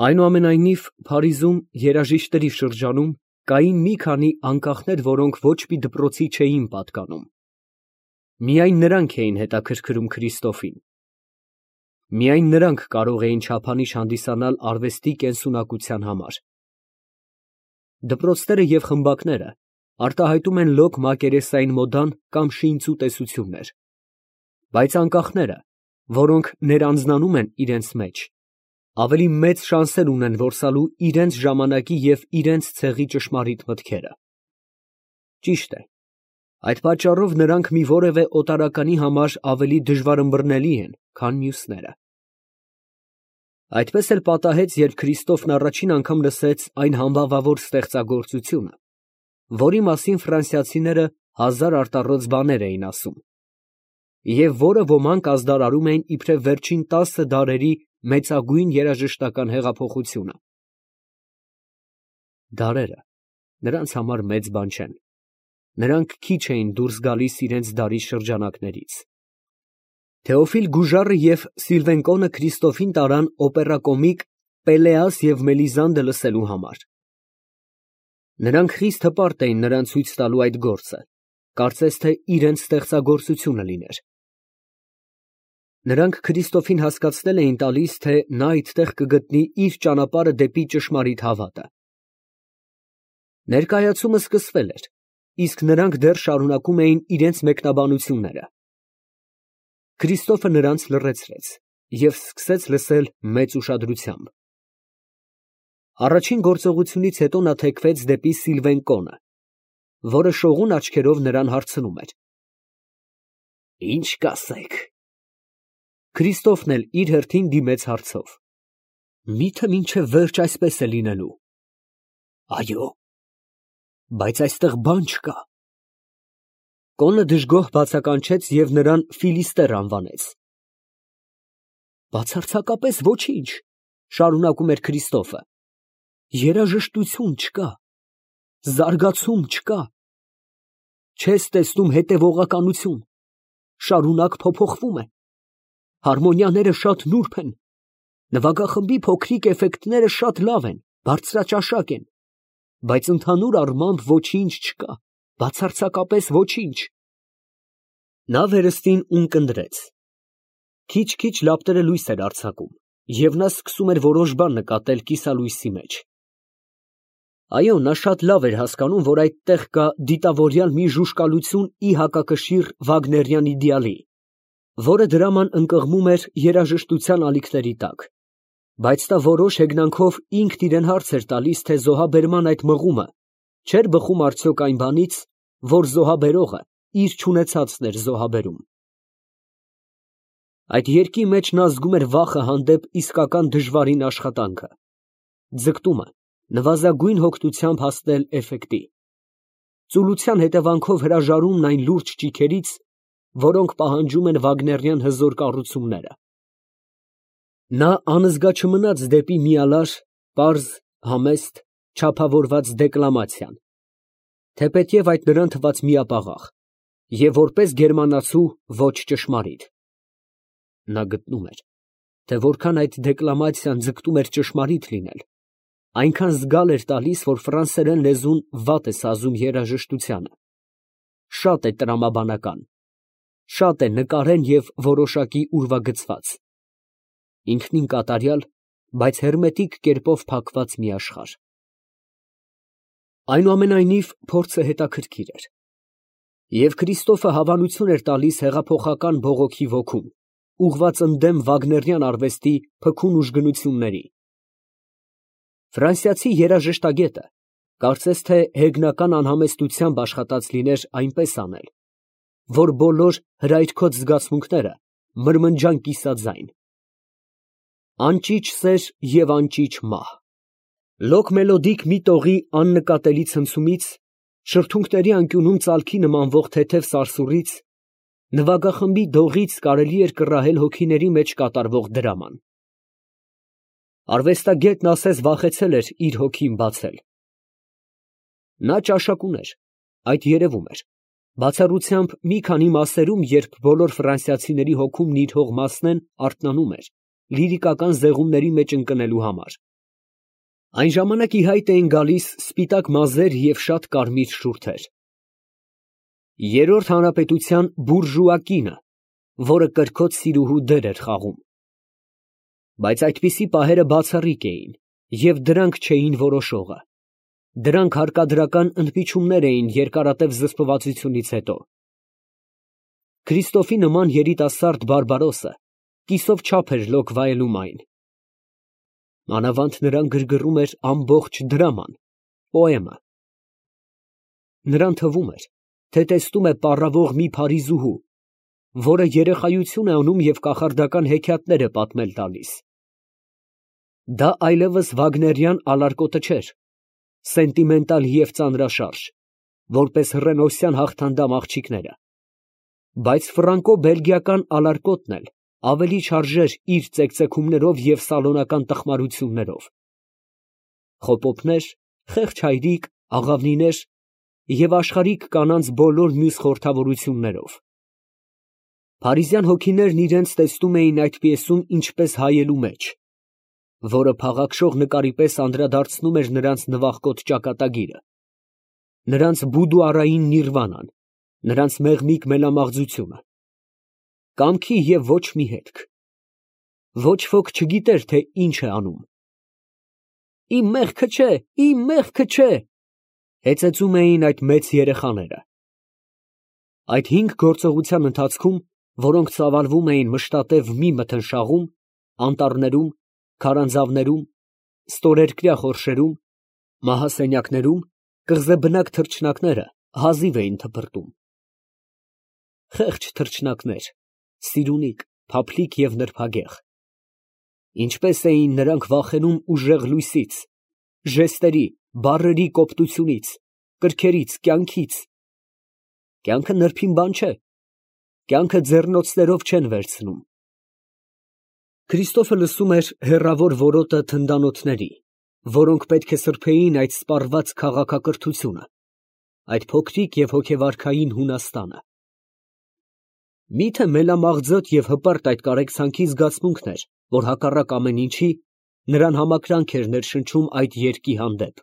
Այնուամենայնիվ, Փարիզում երաժիշտների շրջանում կային մի քանի անկախներ, որոնք ոչ մի դպրոցի չէին պատկանում. միայն նրանք էին հետաքրքրում Քրիստոֆին, միայն նրանք կարող էին չափանիշ հանդիսանալ արվեստի կենսունակության համար։ Դպրոցները և խմբակները արտահայտում են լոկ մակերեսային մոդան կամ շինծու տեսություններ, բայց անկախները, որոնք ներանձնանում են իրենց մեջ, ավելի մեծ շանսեր ունեն որսալու իրենց ժամանակի և իրենց ցեղի ճշմարիտ մտքերը։ Ճիշտ է, այդ պատճառով նրանք մի որևէ օտարականի համար ավելի դժվարըմբռնելի են, քան մյուսները։ Այդպես էլ պատահեց, երբ Քրիստոֆն առաջին անգամ լսեց այն համբավավոր ստեղծագործությունը, որի մասին ֆրանսիացիները հազար արտառոց բաներ էին ասում, և որը ոմանք ազդարարում էին իբրև վերջին 10 դարերի մեծագույն երաժշտական հեղափոխությունը։ Դարերը նրանց համար մեծ բան չեն, նրանք քիչ էին դուրս գալիս իրենց դարի շրջանակներից։ Թեոֆիլ Գուժարը և Սիլվեն Կոնը Քրիստոֆին տարան օպերակոմիկ «Պելեաս և Մելիզանդը» լսելու համար։ Նրանք խիստ հպարտ էին նրան ցույց տալու այդ գործը, կարծես թե իրենց ստեղծագործությունը լիներ։ Նրանք Քրիստոֆին հասկացնել էին տալիս, թե նա այդտեղ կգտնի իր ճանապարհը դեպի ճշմարիտ հավատը։ Ներկայացումը սկսվել էր, իսկ նրանք դեռ շարունակում էին իրենց մեկնաբանությունները։ Քրիստոֆը նրանց լռեցրեց և սկսեց լսել մեծ ուշադրությամբ։ Առաջին գործողությունից հետո նա թեքվեց դեպի Սիլվեն Կոնը, որը շողուն աչքերով նրան հարցնում էր. «Ի՞նչ կասեք»։ Քրիստոֆն էլ իր հերթին դիմեց հարցով. «Մի՞թե մինչև վերջ այսպես է լինելու»։ «Այո»։ «Բայց այստեղ բան չկա»։ Կոնը դժգոհ բացականչեց և նրան Ֆիլիստեր անվանեց։ «Բացարձակապես ոչինչ», շարունակում էր Քրիստոֆը, «երաժշտություն չկա, զարգացում չկա, չես տեսնում հետևողականություն, շարունակ փոփոխվում է, հարմոնիաները շատ նուրբ են, նվագախմբի փոքրիկ էֆեկտները շատ լավ են, բարձրաճաշակ են, բայց ընդհանուր առմամբ ոչինչ չկա, բացարձակապես ոչինչ»։ Նա վերստին ունկնդրեց։ Քիչ-քիչ լապտերը լույս էր արձակում, և նա սկսում էր որոշ բան նկատել կիսալույսի մեջ։ Այո, նա շատ լավ էր հասկանում, որ այդտեղ կա դիտավորյալ մի ժուժկալություն ի հակակշիռ վագներյան իդեալի, որը դրաման ընկղմում էր երաժշտության ալիքների տակ, բայց նա որոշ հեգնանքով ինքն իրեն հարց էր տալիս, թե զոհաբերման այդ մղումը չէր բխում արդյոք այն բանից, որ զոհաբերողը իր չունեցածն էր զոհաբերում։ Այդ երգի մեջ նա զգում էր վախը հանդեպ իսկական դժվարին աշխատանքը, ձգտումը նվազագույն հոգնությամբ հասնել էֆեկտի, ծուլության հետևանքով հրաժարումն այն լուրջ ճիգերից, որոնք պահանջում են վագներյան հզոր կառուցումները։ Նա անզգա չմնաց դեպի միալար, պարզ, համեստ, չափավորված դեկլամացիան, թեպետև այդ նրան թվաց միապաղաղ, և որպես գերմանացու ոչ ճշմարիտ։ Նա գտնում էր, թե որքան այդ դեկլամացիան ձգտում էր ճշմարիտ լինել, այնքան զգալ էր տալիս, որ ֆրանսերեն լեզուն վատ է սազում երաժշտությանը, շատ է տրամաբանական, շատ է նկարեն և որոշակի ուրվագծված, ինքնին կատարյալ, բայց հերմետիկ կերպով փակված մի աշխարհ։ Այնուամենայնիվ, փորձը հետաքրքիր էր, և Քրիստոֆը հավանություն էր տալիս հեղափոխական բողոքի ոգուն, ուղղված ընդդեմ վագներյան արվեստի փքուն ուժգնությունների։ Ֆրանսիացի երաժշտագետը կարծես թե հեգնական անհամեստությամբ աշխատած լիներ այնպես անել, որ բոլոր հրայրքոց զգացմունքները մրմնջան կիսաձայն։ Անճիչ սեր և անճիչ մահ։ Լոկ մելոդիկ մի տողի աննկատելի ցնցումից, շրթունքների անկյունում ծալքի նմանվող թեթև սարսուռից, նվագախմբի դողից կարելի էր կռահել հոգիների մեջ կատարվող դրաման։ Արվեստագետն ասես վախեցել էր իր հոգին բացել։ Նա ճաշակ ուներ, այդ երևում էր, բացառությամբ մի քանի մասերում, երբ բոլոր ֆրանսիացիների հոգում նիրհող մասն են արթնանում էր լիրիկական զեղումների մեջ ընկնելու համար, Այն ժամանակ ի հայտ էին գալիս սպիտակ մազեր և շատ կարմիր շուրթեր։ Երրորդ հանրապետության բուրժուա կինը, որը կրքոտ սիրուհու դեր էր խաղում։ Բայց այդպիսի պահերը բացառիկ էին, և դրանք չէին որոշողը։ Դրանք հարկադրական ընդմիջումներ էին երկարատև զսպվածությունից հետո։ Քրիստոֆի նման երիտասարդ բարբարոսը կիսով չափ էր լոկ վայելում այն։ Մանավանդ նրան գրգռում էր ամբողջ դրաման, պոեմը։ Նրան թվում էր, թե տեսնում է պառավող մի փարիզուհու, որը երեխայություն է անում և կախարդական հեքիաթներ է պատմել տալիս։ Դա այլևս վագներյան ալարկոտը չէր, սենտիմենտալ և ծանրաշարժ, որպես հռենոսյան հաղթանդամ աղջիկները, բայց ֆրանկո֊բելգիական ալարկոտն էլ ավելի չարժեր իր ծեկծեքումներով և սալոնական տխմարություններով։ Խոպոպներ, խեղճ հայրիկ, աղավնիներ և աշխարհիկ կանանց բոլոր մյուս խորհրդավորություններով։ Փարիզյան հոգիներն իրենց տեսնում էին այդ պիեսում ինչպես հայելու մեջ, որը փաղաքշող նկարի պես անդրադարձնում էր նրանց նվախկոտ ճակատագիրը, նրանց բուդուարային նիրվանան, նրանց մեղմիկ մելամաղձությունը, կամքի և ոչ մի հետք։ Ոչ ոք չգիտեր, թե ինչ է անում։ «Իմ մեղքը չէ, իմ մեղքը չէ», հեծեծում էին այդ մեծ երեխաները։ Այդ 5 գործողության ընթացքում, որոնք ծավալվում էին մշտատև մի մթնշաղում, անտառներում, քարանձավներում, ստորերկրյա խորշերում, մահասենյակներում, կղզեբնակ թռչնակները հազիվ էին թփրտում։ Խեղճ թռչնակներ, սիրունիկ, փափլիկ և նրբագեղ։ Ինչպես էին նրանք վախենում ուժեղ լույսից, ժեստերի, բառերի կոպտությունից, կրքերից, կյանքից։ Կյանքը նրբին բան չէ, կյանքը ձեռնոցներով չեն վերցնում։ Քրիստոֆը լսում էր հեռավոր որոտը թնդանոթների, որոնք պետք է սրբեին այդ սպառված քաղաքակրթությունը, այդ փոքրիկ և հոգեվարքային Հունաստանը։ Մի՞թե մելամաղձոտ և հպարտ այդ կարեկցանքի զգացմունքն էր, որ հակառակ ամեն ինչի, նրան համակրանք էր ներշնչում այդ երկի հանդեպ։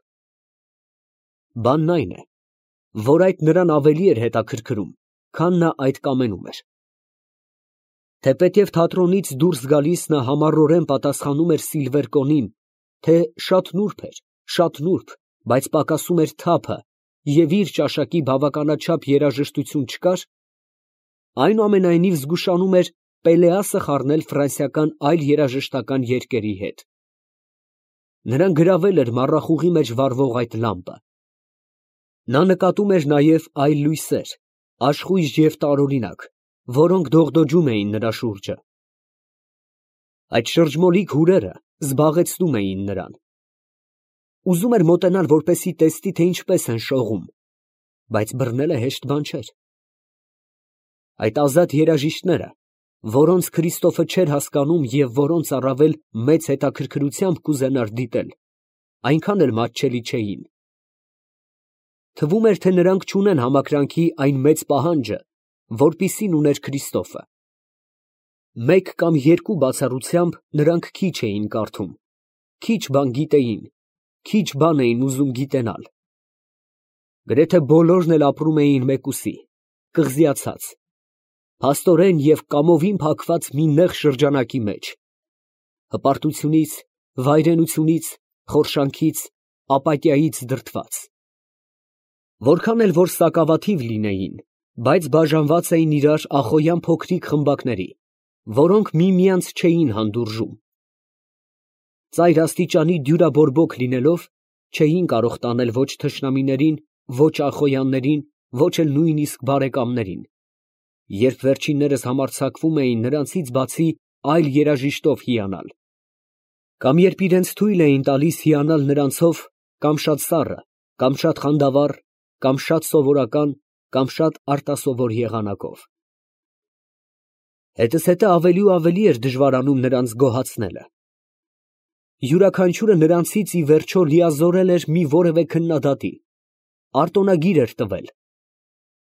Բանն այն է, որ այդ նրան ավելի էր հետաքրքրում, քան նա այդ կամենում էր։ Թեպետև թատրոնից դուրս գալիս նա համառորեն պատասխանում էր Սիլվեր կոնին, թե շատ նուրբ էր, շատ նուրբ, բայց պակասում էր թափը և իր ճաշակի բավականաչափ երաժշտություն չկար, այնուամենայնիվ զգուշանում էր Պելեասը խառնել ֆրանսիական այլ երաժշտական երկերի հետ։ Նրան գրավել էր մառախուղի մեջ վառվող այդ լամպը։ Նա նկատում էր նաև այլ լույսեր, աշխույժ և տարօրինակ, որոնք դողդոջում էին նրա շուրջը։ Այդ շրջմոլիկ հուրերը զբաղեցնում էին նրան։ Ուզում էր մոտենալ, որպեսզի տեսնի, թե ինչպես են շողում, բայց բռնելը հեշտ բան չէր։ Այդ ազատ երաժիշտները, որոնց Քրիստոֆը չէր հասկանում և որոնց առավել մեծ հետաքրքրությամբ կուզենար դիտել, այնքան էլ մատչելի չէին։ Թվում էր, թե նրանք չունեն համակրանքի այն մեծ պահանջը, որպիսին ուներ Քրիստոֆը։ Մեկ կամ երկու բացառությամբ նրանք քիչ էին կարդում, քիչ բան գիտեին, քիչ բան էին ուզում գիտենալ։ Գրեթե բոլորն էլ ապրում էին մեկուսի, կղզիացած, փաստորեն և կամովին փակված մի նեղ շրջանակի մեջ, հպարտությունից, վայրենությունից, խորշանքից, ապաթիայից դրդված։ Որքան էլ որ սակավաթիվ լինեին, բայց բաժանված էին իրար ախոյան փոքրիկ խմբակների, որոնք միմյանց չէին հանդուրժում։ Ծայր աստիճանի դյուրաբորբոք լինելով, չէին կարող տանել ոչ թշնամիներին, ոչ ախոյաններին, ոչ էլ նույնիսկ բարեկամներին, երբ վերջիններս համարձակվում էին նրանցից բացի այլ երաժիշտով հիանալ, կամ երբ իրենց թույլ էին տալիս հիանալ նրանցով կամ շատ սառը, կամ շատ խանդավառ, կամ շատ սովորական, կամ շատ արտասովոր եղանակով։ Հետզհետե ավելի ու ավելի էր դժվարանում նրանց գոհացնելը։ Յուրաքանչյուրը նրանցից ի վերջո լիազորել էր մի որևէ քննադատի, արտոնագիր էր տվել,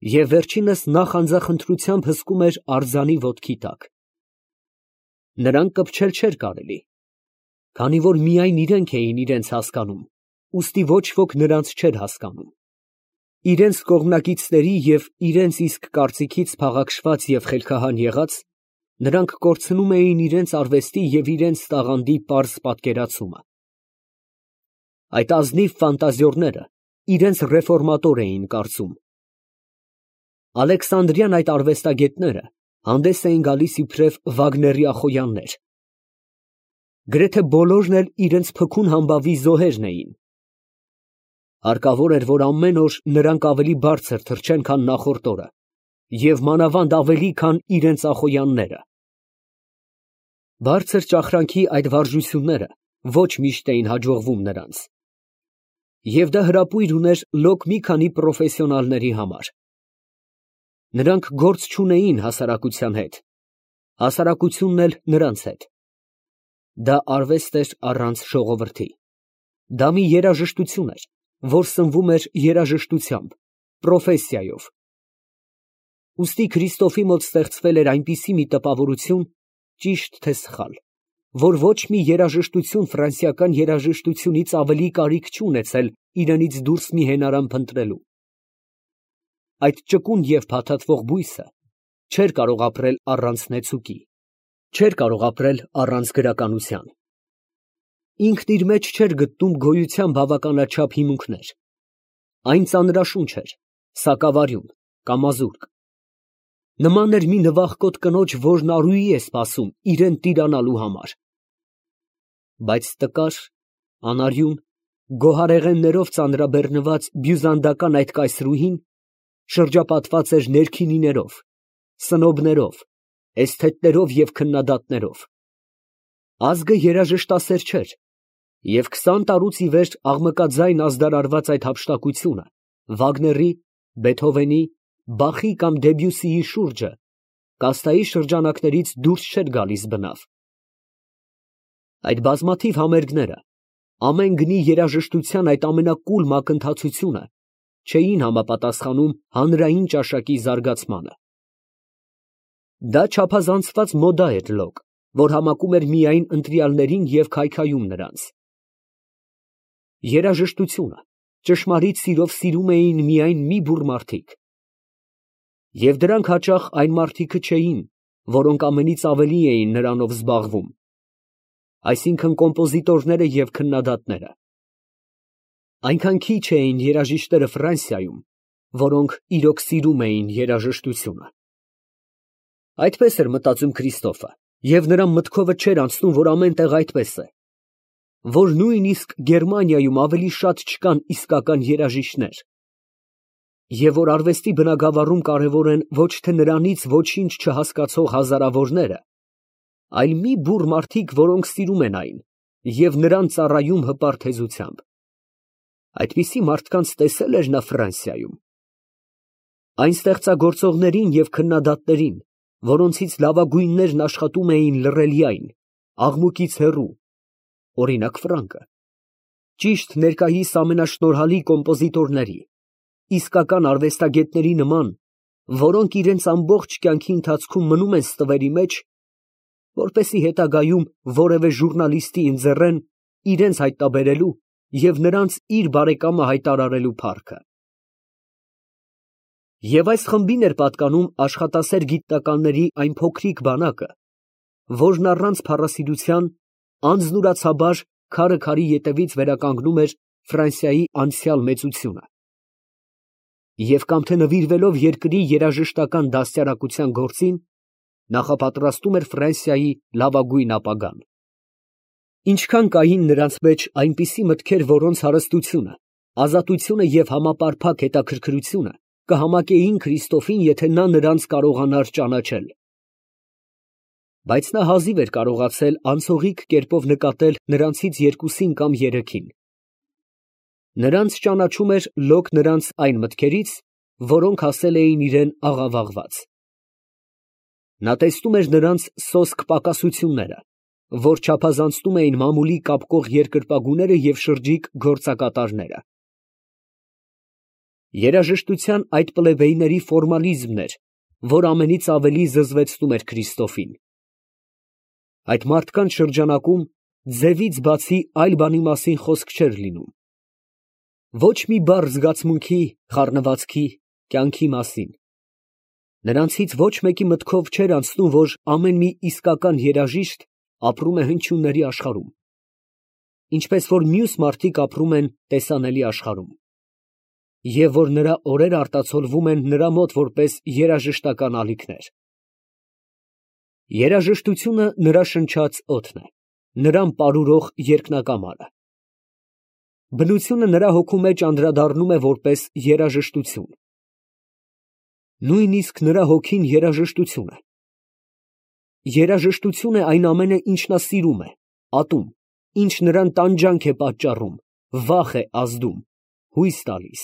և վերջինս նախանձախնդրությամբ հսկում էր արձանի ոտքի տակ։ Նրան կպչել չէր կարելի։ Քանի որ միայն իրենք էին իրենց հասկանում, ուստի ոչ ոք նրանց չէր հասկանում։ Իրենց կողմնակիցների և իրենց իսկ կարծիքից փաղաքշված և խելքահան եղած, նրանք կորցնում էին իրենց արվեստի և իրենց տաղանդի պարզ պատկերացումը։ Այդ ազնիվ ֆանտազիորները իրենց ռեֆորմատոր էին կարծում։ Ալեքսանդրյան այդ արվեստագետները հանդես էին գալիս իբրև Վագներյա խոյաններ։ Գրեթե բոլորն էլ իրենց փքուն համբավի զոհերն էին։ Հարկավոր էր, որ ամեն օր նրանք ավելի բարձր թռչեն, քան նախորդ օրը, և մանավանդ ավելի, քան իրենց ախոյանները։ Բարձր ճախրանքի այդ վարժությունները ոչ միշտ էին հաջողվում նրանց։ Եվ դա հրապույր ուներ լոկ մի քանի պրոֆեսիոնալների համար։ Նրանք գործ չունեին հասարակության հետ, հասարակությունն էլ նրանց հետ։ Դա արվեստ էր առանց ժողովրդի։ Դա մի երաժշտություն էր, որ սնվում էր երաժշտությամբ, պրոֆեսիայով։ Ուստի Քրիստոֆի մոտ ստեղծվել էր այնպիսի մի տպավորություն, ճիշտ թե սխալ, որ ոչ մի երաժշտություն ֆրանսիական երաժշտությունից ավելի կարիք չունեցել իրենից դուրս մի հենարան փնտրելու։ Այդ ճկուն և փաթաթվող բույսը չէր կարող ապրել առանց նեցուկի, չէր կարող ապրել առանց գրականության։ Ինքն իր մեջ չէր գտնում գոյության բավականաչափ հիմունքներ։ Այն ծանրաշունչ էր, սակավարյուն, կամազուրկ։ Նման էր մի նվախկոտ կնոջ, որն արուի է սպասում իրան տիրանալու համար։ Բայց տկար, անարյուն, գոհարեղեններով ծանրաբեռնված բյուզանդական այդ կայսրուհին շրջապատված էր ներքինիներով, սնոբներով, էսթետներով և քննադատներով։ Ազգը երաժշտասեր չէր, և 20 տարուց ի վեր աղմկաձայն ազդարարված այդ հափշտակությունը Վագների, Բեթհովենի, Բախի կամ Դեբյուսիի շուրջը կասթայի շրջանակներից դուրս չէր գալիս բնավ։ Այդ բազմաթիվ համերգները, ամեն գնի երաժշտության այդ ամենակուլ մակընթացությունը չէին համապատասխանում հանրային ճաշակի զարգացմանը։ Դա չափազանցված մոդա էր լոկ, որ համակում էր միայն ընտրյալներին և քայքայում նրանց։ Երաժշտությունը ճշմարիտ սիրով սիրում էին միայն մի բուռ մարդիկ։ Եվ դրանք հաճախ այն մարդիկը չէին, որոնք ամենից ավելի էին նրանով զբաղվում, այսինքն կոմպոզիտորները և քննադատները։ Այնքան քիչ էին երաժիշտները Ֆրանսիայում, որոնք իրոք սիրում էին երաժշտությունը։ Այդպես էր մտածում Քրիստոֆը, և նրա մտքովը չէր անցնում, որ ամեն տեղ այդպես է, որ նույնիսկ Գերմանիայում ավելի շատ չկան իսկական երաժիշտներ, և որ արվեստի բնագավառում կարևոր են ոչ թե նրանից ոչինչ չհասկացող հազարավորները, այլ մի բուռ մարդիկ, որոնք սիրում են այն և նրան ծառայում հպարտ հեզությամբ։ Այդպիսի մարդկանց տեսե՞լ էր նա Ֆրանսիայում։ Այն ստեղծագործողներին և քննադատներին, որոնցից լավագույններն աշխատում էին լռելյայն, աղմուկից հեռու, օրինակ Ֆրանկը, ճիշտ ներկայիս ամենաշնորհալի կոմպոզիտորների, իսկական արվեստագետների նման, որոնք իրենց ամբողջ կյանքի ընթացքում մնում են ստվերի մեջ, որպեսզի հետագայում որևէ ժուռնալիստի ընձեռեն իրենց հայտնաբերելու և նրանց իր բարեկամը հայտարարելու փառքը։ Եվ այս խմբին էր պատկանում աշխատասեր գիտնականների այն փոքրիկ բանակը, որն առանց փառասիրության անձնուրացաբար քարը քարի ետևից վերականգնում էր Ֆրանսիայի անցյալ մեծությունը և կամ թե նվիրվելով երկրի երաժշտական դաստիարակության գործին, նախապատրաստում էր Ֆրանսիայի լավագույն ապագան։ Ինչքան կային նրանց մեջ այնպիսի մտքեր, որոնց հարստությունը, ազատությունը և համապարփակ հետաքրքրությունը կհամակեին Քրիստոֆին, եթե նա նրանց կարողանար ճանաչել։ Բայց նա հազիվ էր կարողացել անցողիկ կերպով նկատել նրանցից երկուսին կամ երեքին։ Նրանց ճանաչում էր լոկ նրանց այն մտքերից, որոնք ասել էին իրան աղավաղված։ Նա տեսնում էր նրանց սոսկ պակասությունները, որ չափազանցնում էին մամուլի կապկող երկրպագուները և շրջիկ գործակատարները։ Երաժշտության այդ պլեբեյների ֆորմալիզմն էր, որ ամենից ավելի զզվեցնում էր Քրիստոֆին։ Այդ մարդկանց շրջանակում Ձևից բացի այլ բանի մասին խոսք չէր լինում։ Ոչ մի բառ զգացմունքի, խառնվածքի, կյանքի մասին։ Նրանցից ոչ մեկի մտքով չէր անցնում, որ ամեն մի իսկական երաժիշտ ապրում է հնչյունների աշխարհում, ինչպես որ մյուս մարդիկ ապրում են տեսանելի աշխարհում, և որ նրա օրերը արտացոլվում են նրա մոտ որպես երաժշտական ալիքներ։ Երաժշտությունը նրա շնչած օդն է, նրան պարուրող երկնակամարը։ Բնությունը նրա հոգու մեջ անդրադառնում է որպես երաժշտություն։ Նույնիսկ նրա հոգին երաժշտություն է։ Երաժշտություն է այն ամենը, ինչ նա սիրում է, ատում, ինչ նրան տանջանք է պատճառում, վախ է ազդում, հույս տալիս։